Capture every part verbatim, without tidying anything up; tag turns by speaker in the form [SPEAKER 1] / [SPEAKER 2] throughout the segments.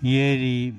[SPEAKER 1] Ieri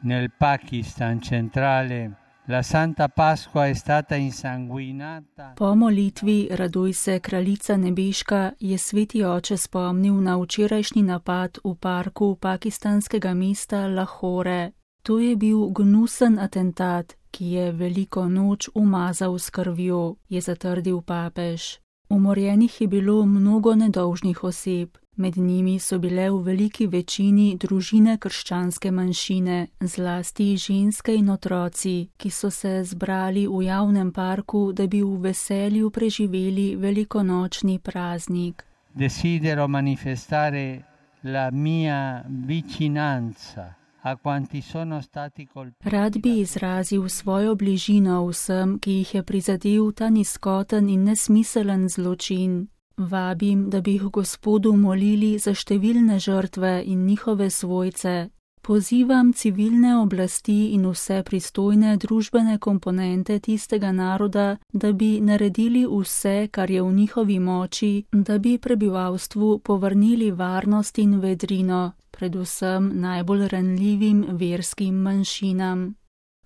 [SPEAKER 1] nel Pakistan centrale la Santa Pasqua è stata insanguinata.
[SPEAKER 2] Po molitvi Raduj se, kraljica nebeška, je sveti oče spomnil na včerajšnji napad v parku pakistanskega mesta Lahore. To je bil gnusen atentat, ki je veliko noč umazal s krvjo, je zatrdil papež. Umorjenih je bilo mnogo nedolžnih oseb. Med njimi so bile v veliki večini družine krščanske manjšine, zlasti ženske in otroci, ki so se zbrali v javnem parku, da bi v veselju preživeli velikonočni praznik.
[SPEAKER 1] Desidero manifestare la mia vicinanza a quanti sono stati colpiti.
[SPEAKER 2] Rad bi izrazil svojo bližino vsem, ki jih je prizadel ta nizkoten in nesmiselen zločin. Vabim, da bi jih Gospodu molili za številne žrtve in njihove svojce. Pozivam civilne oblasti in vse pristojne družbene komponente tistega naroda, da bi naredili vse, kar je v njihovi moči, da bi prebivalstvu povrnili varnost in vedrino, predvsem najbolj ranljivim verskim manjšinam.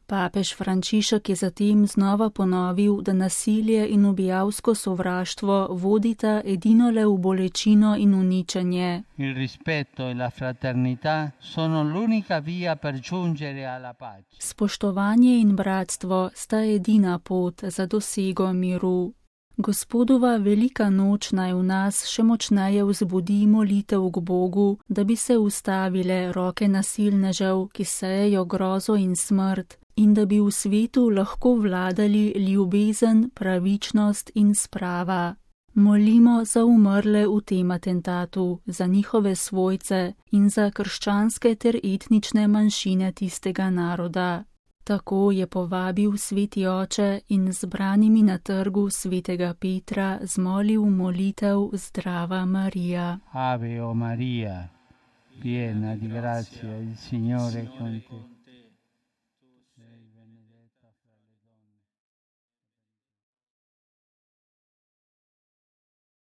[SPEAKER 2] Papež Frančišek je zatem znova ponovil, da nasilje in ubijalsko sovraštvo vodita edino le v bolečino in uničenje.
[SPEAKER 1] Il rispetto e la fraternità sono l'unica via per giungere alla pace.
[SPEAKER 2] Spoštovanje in bratstvo sta edina pot za dosego miru. Gospodova velika noč naj v nas še močneje vzbudi molitev k Bogu, da bi se ustavile roke nasilnežev, ki sejejo grozo in smrt, in da bi v svetu lahko vladali ljubezen, pravičnost in sprava. Molimo za umrle v tem atentatu, za njihove svojce in za krščanske ter etnične manjšine tistega naroda. Tako je povabil sveti oče in zbranimi na trgu svetega Petra zmolil molitev Zdrava Marija.
[SPEAKER 1] Ave o Maria, piena di grazia, il Signore è con te.